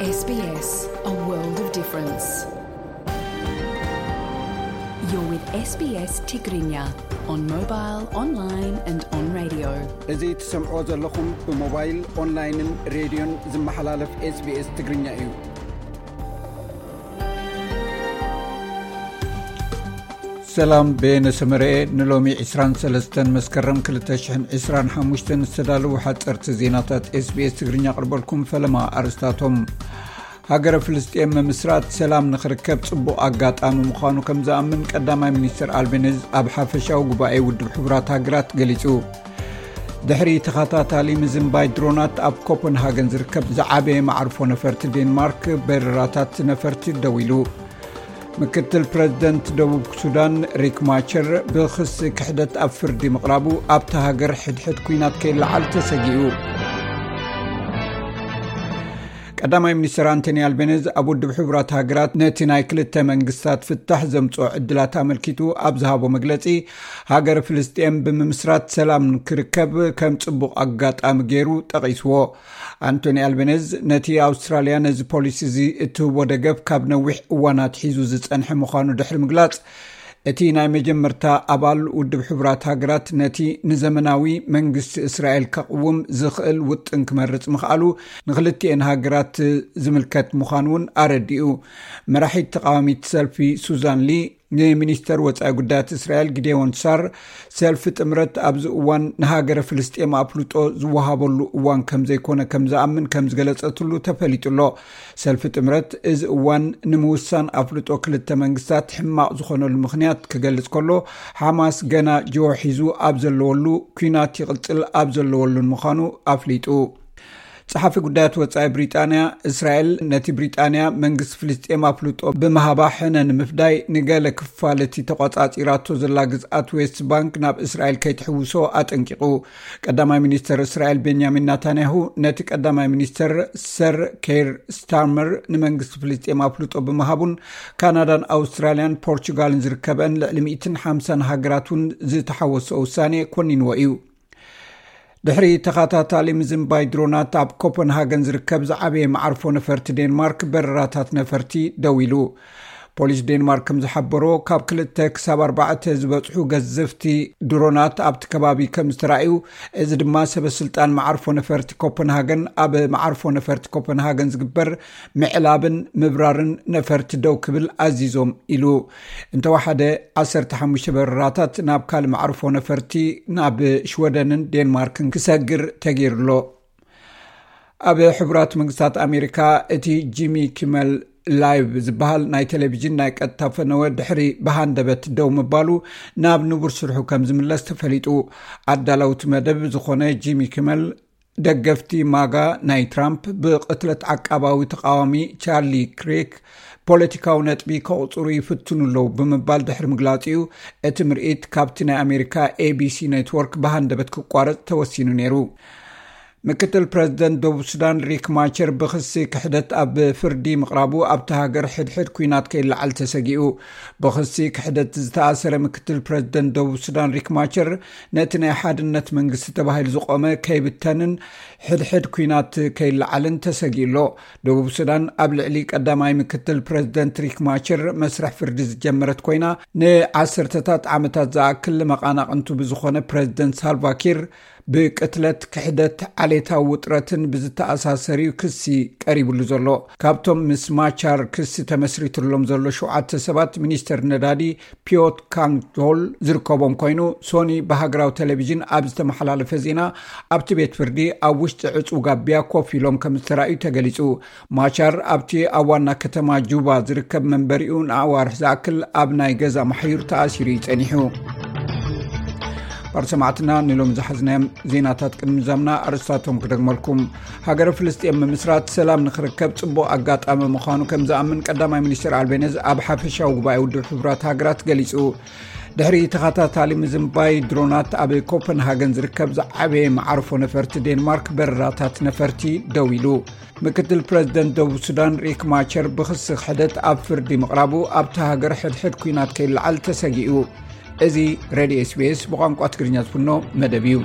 S B S, a world of difference. You're with S B S Tigrinya on mobile, online and on radio. እዚ ትሰምዕዎ ዘለኹም ብሞባይል፣ ኦንላይንን ሬድዮን ዝመሓላለፍ S B S ትግርኛ እዩ። ሰላም፣ በየነ ሰመረኤ። ንሎሚ ዕስራን ሰለስተን መስከረም ክልተ ሽሕን ዕስራን ሓሙሽተን ዝተዳለዉ ሓፀርቲ ዜናታት S B S ትግርኛ ኣቕርበልኩም። ፈለማ ኣርስታቶም። ሃገረ ፍልስጤም ምምስራት ሰላም ንኽርከብ ጽቡቕ ኣጋጣሚ ምዃኑ ከም ዝኣምን ቀዳማይ ሚኒስትር ኣልቤኒዝ ኣብ ሓፈሻዊ ጉባኤ ውድብ ሕቡራት ሃገራት ገሊጹ። ድሕሪ ተኸታታሊ ምዝንባይ ድሮናት ኣብ ኮፐንሃገን ዝርከብ ዝዓበየ መዓርፎ ነፈርቲ ዴንማርክ በረራታት ነፈርቲ ደው ኢሉ። ምክትል ፕረዚደንት ደቡብ ሱዳን ሪክ ማቸር ብኽሲ ክሕደት ኣብ ፍርዲ ምቕራቡ ኣብታ ሃገር ሕድሕድ ኲናት ከይለዓል ተሰጊኡ። ቀዳማይ ሚኒስትር ኣንቶኒ ኣልቤኒዝ ኣብ ውድብ ሕቡራት ሃገራት ነቲ ናይ ክልተ መንግስታት ፍታሕ ዘምጽኦ ዕድላት ኣመልኪቱ ኣብ ዝሃቦ መግለጺ፣ ሃገር ፍልስጤም ብምምስራት ሰላም ክርከብ ከም ጽቡቕ ኣጋጣሚ ገይሩ ጠቒስዎ። ኣንቶኒ ኣልቤኒዝ ነቲ ኣውስትራልያ ነዚ ፖሊሲ እዚ እትህቦ ደገፍ ካብ ነዊሕ እዋን ኣትሒዙ ዝጸንሐ ምዃኑ ድሕሪ ምግላጽ፣ እቲ ናይ መጀመርታ ኣባል ውድብ ሕቡራት ሃገራት ነቲ ንዘመናዊ መንግስቲ እስራኤል ከቕውም ዝኽእል ውጥን ክመርጽ ምኽኣሉ ንኽልቲኤን ሃገራት ዝምልከት ምዃኑ እውን ኣረዲኡ። መራሒት ተቃዋሚት ሰልፊ ሱዛን ሊ ንሚኒስተር ወጻኢ ጉዳያት እስራኤል ጊዴዎን ሳር፣ ሰልፊ ጥምረት ኣብዚ እዋን ንሃገረ ፍልስጤም ኣፍልጦ ዝወሃበሉ እዋን ከም ዘይኮነ ከም ዝኣምን ከም ዝገለጸትሉ ተፈሊጡ ኣሎ። ሰልፊ ጥምረት፣ እዚ እዋን ንምውሳን ኣፍልጦ ክልተ መንግስታት ሕማቕ ዝኾነሉ ምኽንያት ክገልጽ ከሎ፣ ሓማስ ገና ጅሆ ሒዙ ኣብ ዘለወሉ፣ ኲናት ይቕጽል ኣብ ዘለወሉን ምዃኑ ኣፍሊጡ። ጸሓፊ ጉዳያት ወጻኢ ብሪጣንያ፣ እስራኤል ነቲ ብሪጣንያ መንግስቲ ፍልስጤም ኣፍልጦ ብምሃባ ሕነ ንምፍዳይ ንገለ ክፋል እቲ ተቖጻጺራቶ ዘላ ግዝኣት ዌስት ባንክ ናብ እስራኤል ከይትሕውሶ ኣጠንቂቑ። ቀዳማይ ሚኒስተር እስራኤል ቤንያሚን ናታንያሁ ነቲ ቀዳማይ ሚኒስተር ሰር ኬር ስታርመር ንመንግስቲ ፍልስጤም ኣፍልጦ ብምሃቡን ካናዳን ኣውስትራልያን ፖርቹጋልን ዝርከበን ልዕሊ ሚእትን ሓምሳን ሃገራት እውን ዝተሓወሶ ውሳኔ ኮኒንዎ እዩ። ድሕሪ ተኸታታሊ ምዝንባይ ድሮናት ኣብ ኮፐንሃገን ዝርከብ ዝዓበየ መዓርፎ ነፈርቲ ዴንማርክ በረራታት ነፈርቲ ደው ኢሉ። ፖሊስ ዴንማርክ ከም ዝሓበሮ፣ ካብ ክልተ ክሳብ ኣርባዕተ ዝበጽሑ ገዘፍቲ ድሮናት ኣብቲ ከባቢ ከም ዝተራእዩ፣ እዚ ድማ ሰበ ስልጣን መዓርፎ ነፈርቲ ኮፐንሃገን ኣብ መዓርፎ ነፈርቲ ኮፐንሃገን ዝግበር ምዕላብን ምብራርን ነፈርቲ ደው ክብል ኣዚዞም ኢሉ። እንተወሓደ ዓሰርተ ሓሙሽተ በረራታት ናብ ካልእ መዕርፎ ነፈርቲ ናብ ሽወደንን ዴንማርክን ክሰግር ተገይሩ ኣሎ። ኣብ ሕቡራት መንግስታት ኣሜሪካ እቲ ጂሚ ኪመል ላይቭ ዝበሃል ናይ ቴሌቪዥን ናይ ቀጥታ ፈነወ ድሕሪ ብሃንደበት ደው ምባሉ ናብ ንቡር ስርሑ ከም ዝምለስ ተፈሊጡ። ኣዳለውቲ መደብ ዝኾነ ጂሚ ኪመል ደገፍቲ ማጋ ናይ ትራምፕ ብቕትለት ዓቃባዊ ተቃዋሚ ቻርሊ ክሬክ ፖለቲካዊ ነጥቢ ከቑጽሩ ይፍትኑ ኣለዉ ብምባል ድሕሪ ምግላጹ እዩ እቲ ምርኢት ካብቲ ናይ ኣሜሪካ ኤ ቢ ሲ ኔትወርክ ብሃንደበት ክቋረጽ ተወሲኑ ነይሩ። ምክትል ፕረዚደንት ደቡብ ሱዳን ሪክ ማቸር ብኽሲ ክሕደት ኣብ ፍርዲ ምቕራቡ ኣብቲ ሃገር ሕድሕድ ኲናት ከይለዓል ተሰጊኡ። ብኽሲ ክሕደት ዝተኣሰረ ምክትል ፕረዚደንት ደቡብ ሱዳን ሪክ ማቸር ነቲ ናይ ሓድነት መንግስቲ ተባሂሉ ዝቖመ ከይብተንን ሕድሕድ ኲናት ከይለዓልን ተሰጊኡ ኣሎ። ደቡብ ሱዳን ኣብ ልዕሊ ቀዳማይ ምክትል ፕረዚደንት ሪክ ማቸር መስርሕ ፍርዲ ዝጀመረት ኮይና፣ ንዓሰርተታት ዓመታት ዝኣክል መቓናቕንቱ ብዝኾነ ፕረዚደንት ሳልቫኪር ብቅትለት፣ ክሕደት፣ ዓሌታዊ ውጥረትን ብዝተኣሳሰር እዩ ክሲ ቀሪብሉ ዘሎ። ካብቶም ምስ ማቻር ክሲ ተመስሪትሎም ዘሎ ሸውዓተ ሰባት፣ ሚኒስተር ነዳዲ ፒዮት ካንግዶል ዝርከቦም ኮይኑ፣ ሶኒ ብሃገራዊ ቴሌቪዥን ኣብ ዝተመሓላለፈ ዜና፣ ኣብቲ ቤት ፍርዲ ኣብ ውሽጢ ዕጹው ጋቢያ ኮፍ ኢሎም ከም ዝተራእዩ ተገሊጹ። ማቻር ኣብቲ ኣብ ዋና ከተማ ጁባ ዝርከብ መንበሪኡ ንኣዋርሕ ዝኣክል ኣብ ናይ ገዛ ማሕዩር ተኣሲሩ እዩ ጸኒሑ። ባር ሰማዕትና፣ ንሎም ዝሓዝናዮም ዜናታት ቅድሚ ዛምና ኣርእስታቶም ክደግመልኩም። ሃገረ ፍልስጤም ምምስራት ሰላም ንኽርከብ ጽቡቕ ኣጋጣሚ ምዃኑ ከም ዝኣምን ቀዳማይ ሚኒስትር ኣልቤነዝ ኣብ ሓፈሻዊ ጉባኤ ውድብ ሕቡራት ሃገራት ገሊጹ። ድሕሪ ተኸታታሊ ምዝንባይ ድሮናት፣ ኣብ ኮፐንሃገን ዝርከብ ዝዓበየ መዓርፎ ነፈርቲ ዴንማርክ በረራታት ነፈርቲ ደው ኢሉ። ምክትል ፕረዚደንት ደቡብ ሱዳን ሪክ ማቸር ብኽሲ ክሕደት ኣብ ፍርዲ ምቕራቡ ኣብታ ሃገር ሕድሕድ ኲናት ከይለዓል ተሰጊኡ። እዚ ሬድዮ ኤስ ቢ ኤስ ብቋንቋ ትግርኛ ዝፍኖ መደብ እዩ።